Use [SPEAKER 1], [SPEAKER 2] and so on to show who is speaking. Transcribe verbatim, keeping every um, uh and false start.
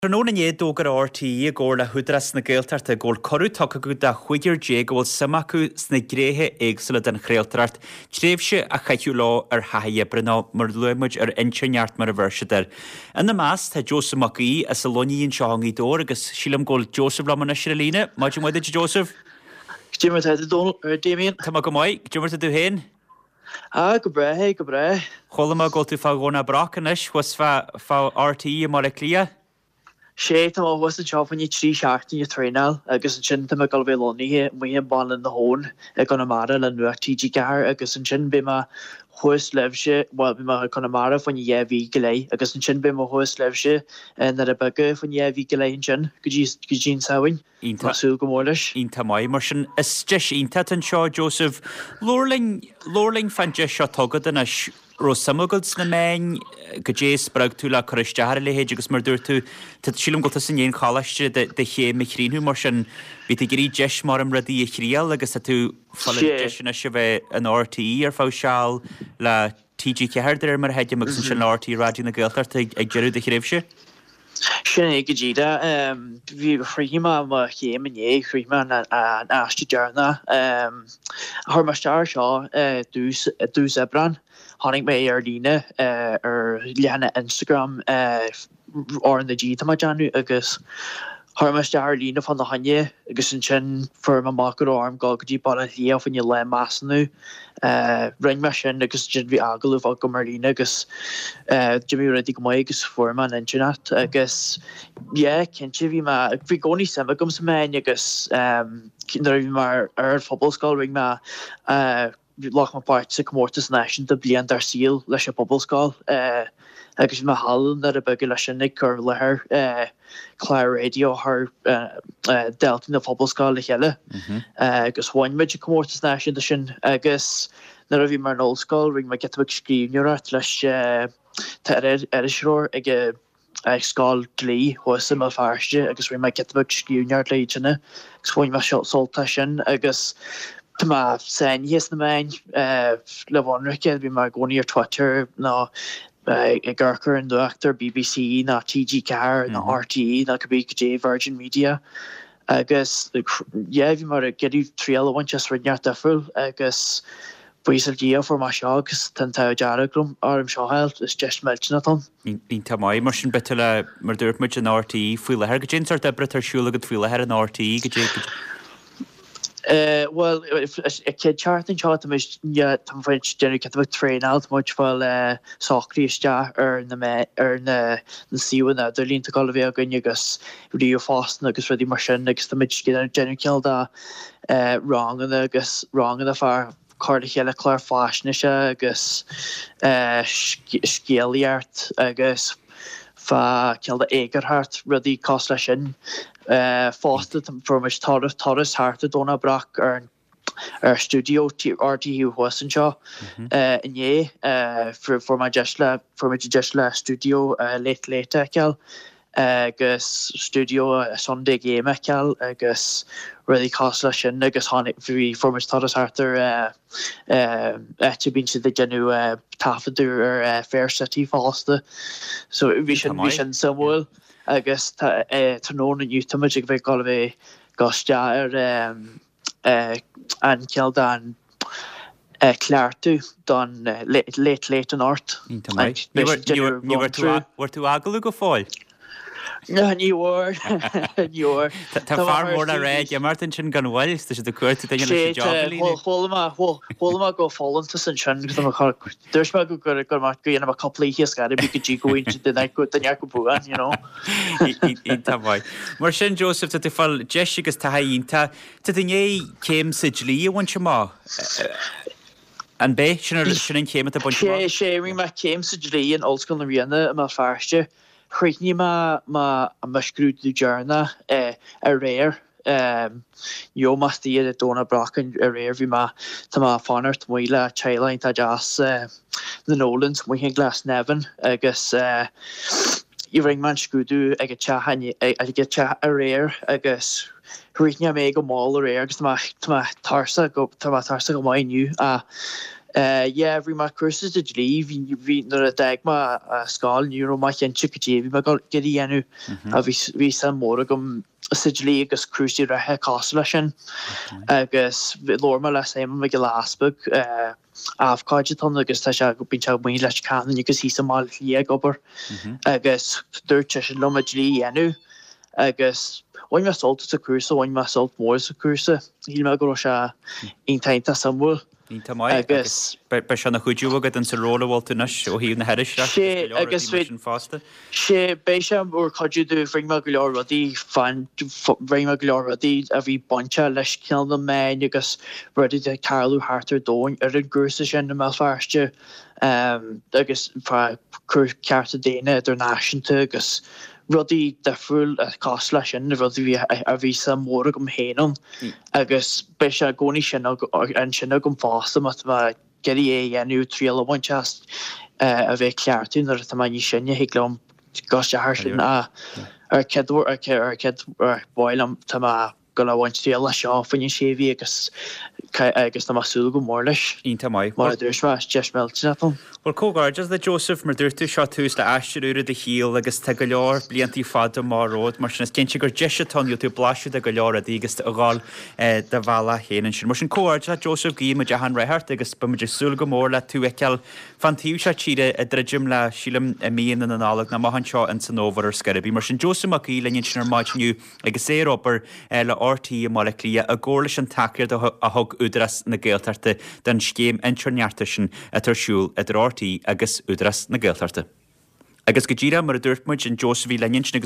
[SPEAKER 1] Tráthnóna inné d'fhógair RTÉ i gcomhar le hÚdarás na Gaeltachta go bhfuil cuireadh tugtha acu do chúigear déag a bhfuil suim acu sna gnéithe éagsúla den chraoltóireacht tréimhse a chaitheamh leo ar thaithí oibre nó mar a luaigh muid ar intéirneacht mar a bheir siad air. Ina measc tá Joseph Mac Aoidh as an Luinnigh anseo i nGaoth Dobhair agus sílim go bhfuil Joseph liom anois ar an líne. Maidin mhaith duit Joseph.
[SPEAKER 2] Cad é mar atá tú Damien?
[SPEAKER 1] Tá mé go maith, cad é mar atá tú féin?
[SPEAKER 2] Ah go breá é go breá.
[SPEAKER 1] Chuala mé go bhfuil tú fá Dhomhnach Broc anois thuas fá fá RTÉ i mBaile Átha Cliath.
[SPEAKER 2] Sé tá thuas anseo fá choinne trí seachtaine traenáil agus ansin tá mé ag dul a bheith lonnaithe amuigh i mBaile na hAbhann i gConamara le Nuacht TG Ceathair agus ansin beidh mé thuas libhse well beidh mé i Conamara fá choinne dhá mhí go leith agus ansin beidh mé thuas libhse i nDoire Beaga fá choinne dhá mhí go leith ansin go dtí go dtí an Samhain. Tá súil go mór leis.
[SPEAKER 1] Iontach maith mar sin is deis iontach anseo Joseph. Labhair linn labhair linn fán deis seo atá agat anois raibh suim agat sna meáin cad é a spreag tú le cur isteach ar a leithéid agus mar dúirt tú tá sílim go bhfuil tusa i ndiaidh an choláiste do chéim a chríochnú mar sin bhí tú ag iarraidh deis mar am rudaí a thriail agus tá tú fáil deis anois a bheith in RTÉ ar feadh seal le TG Ceathair de réir mar a thuigim agus ansin le RTÉ Raidió na Gaeltachta ag deireadh do thréimhse.
[SPEAKER 2] Sin é go díreach bhí chríochnaigh mé mo chéim inné chríochnaigh mé an aiste deireanach chuir mé isteach air seo dtús dtús Aibreán tháinig mé ar líne ar leathanach Instagram RnaG tá mé ag déanamh agus chuir mé isteach ar líne fá na choinne agus ansin fuair mé amach go raibh orm dul go dtí Baile Átha Cliath fá choinne lá measúnú rinne mé sin agus ansin bhí agallamh agam ar líne agus d'imigh rudaí go maith agus fuair mé an intéirneacht agus yeah cinnte bhí mé bhí i gcónaí suim agam sna meáin agus nuair a bhí mé ar ar phobalscoil rinne mé ghlac mé páirt sa comórtas náisiúnta bliain dár saol leis an bpobalscoil agus bhí mé thall i nDoire Beaga leis sin ag cur láthair clár raidió thar daltaí na pobalscoile le chéile agus bhain muid an comórtas náisiúnta sin agus nuair a bhí mé ar an ollscoil rinne mé giota beag scríbhneoireacht leis tá iriseoir ag ag scoil dlí thuas i mBéal Feirste agus rinne mé giota beag scríbhneoireacht léi sin agus bhain mé sult as sin agus tá mé sáinnithe sna meáin le bheith ionraic bhí mé i gcónaí ar Twitter nó ag amharc ar an nuacht ar BBC nó TG Ceathair nó RTÉ nó cibé cad é Virgin Media agus yeah bhí mé ag iarraidh triail a bhaint as rud inteacht difriúil agus buíochas le Dia fuair mé seo agus tá an t-ádh dearg orm seo a fháil is deis millteanach atá
[SPEAKER 1] ann. Iontach maith mar sin beidh tú le mar dúirt muid in RTÉ faoi láthair cad é an sórt oibre atá ar siúl agat faoi láthair in RTÉ cad é
[SPEAKER 2] Bhuel chéad seachtain seo tá tá muid déanamh giota beag traenáil tá muid fáil socraí isteach ar na ar na na suíomhanna idirlín atá ag dul a bheith againn agus ríomhphostanna agus rudaí mar sin agus tá muid déanamh cineál de ranganna agus ranganna fá cur le chéile clár faisnéise agus scéalaíocht agus fá cineál de eagarthóireacht rudaí cosúil leis sin. Fosta fuair muid turas turas thart ar Dhomhnach Broc ar ar stiúideo RTÉ thuas anseo inné fuair mé deis le fuair muid deis le stiúideo Late Late a fheiceáil agus stiúideo Sunday Game a fheiceáil agus rudaí cosúil leis sin agus tháinig bhí fuair muid turas thart ar áit a bíonn siad ag déanamh taifeadadh ar Fair City fosta. So bhí sin bhí sin suimiúil agus tá tráthnóna inniu tá muid ag bheith ag dul a bheith go isteach ar an cineál den cleachtadh don Late Late anocht.
[SPEAKER 1] Iontach maith. Ní bhfuair tú agallamh go fóill?
[SPEAKER 2] Ní bhfuair ní bhfuair.
[SPEAKER 1] Tá fear mór le rá ag imeacht ansin gan mhoill, tá siad ag cuartú duine leis an job a líonadh.
[SPEAKER 2] Chuala mé go folúntas ansin dúirt mé go gur gur go dhéanfaidh mé cúpla oíche scair go dtí go bhfuil duine duine go buan, you know.
[SPEAKER 1] Iontach maith. Mar sin Joseph, tá tú ag fáil deis agus taithí iontach. Tá tú i ndiaidh céim sa dlí a bhaint amach. An b'é sin sin an chéim atá bainte
[SPEAKER 2] amach? Sé sé rinne mé céim sa dlí in Ollscoil na Ríona i Mbéal Feirste. Chríochnaigh mé mo scrúdú deireanach aréir. Ní raibh mé istigh i Domhnach Broc aréir bhí mé tá mé ag fanacht amuigh le teaghlach iontach deas na Nolans amuigh i nGlasnevin agus rinne mé an scrúdú ag an teach ag an teach aréir agus chríochnaigh mé go mall aréir agus tá mé tá mé tuirseach go tá mé tuirseach go maith inniu ach Yeah, bhí mé cúrsa de dlí, bhí nuair a d'fhág mé scoil ní raibh mé cinnte cad é bhí mé ag dul a dhéanamh bhí bhí suim mór agam sa dlí agus cúrsaí reatha cosúil leis sin agus labhair mé le Simon Mac Giolla Easpaig abhcóide atá ann agus tá sé bíonn sé amuigh Leitir Ceanainn agus thíos i mBaile Átha Cliath ag obair agus dúirt seisean liom an dlí a dhéanamh agus bhain mé sult as an cúrsa, bhain mé sult mór as an cúrsa, shíl mé go raibh sé iontach iontach suimiúil.
[SPEAKER 1] Iontach maith agus beidh sé ina chuidiú agat in sa ról a bhfuil tú anois ó thaobh na hiriseoireachta
[SPEAKER 2] agus go leor rudaí mar sin fosta. Sé, beidh sé mar chuidiú domh, rinne mé go leor rudaí fan, rinne mé go leor rudaí a bhí bainteach leis cineál na meáin agus rudaí atá ag tarlú thart ar domhan ar an gcúrsa sin i mBéal Feirste agus fá cearta daonna idirnáisiúnta agus rudaí difriúil cosúil leis sin, rudaí a bhí suim mhór agam féin ann agus beidh sé i gcónaí sin ansin agam fosta má tá mé ag iarraidh é a dhéanamh, triail a bhaint as a bheith ag cleachtadh nuair atá mé níos sine, thig liom dul isteach air sin ar chéad ar chéad ar mhaith liom tá mé ag dul a bhaint triail as seo fá choinne sé mhí agus agus tá mé ag súil go mór leis.
[SPEAKER 1] Iontach maith.
[SPEAKER 2] Mar a dúirt mé, is deis millteanach dom.
[SPEAKER 1] Bhuel, comhghairdeas le Joseph, mar dúirt tú, seo tús le aistear úr i do shaol agus tá go leor bliantaí fada amach romhat, mar sin is cinnte gur deis atá ann, gheobhaidh tú blaiseadh de go leor rudaí agus tú ag dhul do bhealach féin ansin. Mar sin, comhghairdeas leat Joseph, guím muid achan rath ort agus beidh muid ag súil go mór le tú a fheiceáil fán taobh seo tíre ag druidim le, sílim, i mí na Nollag nó amach anseo in san fhómhar ar scor ar bith. Mar sin, Joseph Mac Aoidh linn ansin ar maidin inniu agus é ar obair le RTÉ i mBaile Átha Cliath i gcomhar leis an tacaíocht a thug Údarás na Gaeltachta don scéim intéirneachta sin atá ar siúl idir RTÉ agus Údarás na Gaeltachta. Agus go díreach mar a dúirt muid, an Joseph a bhí linn ansin agus.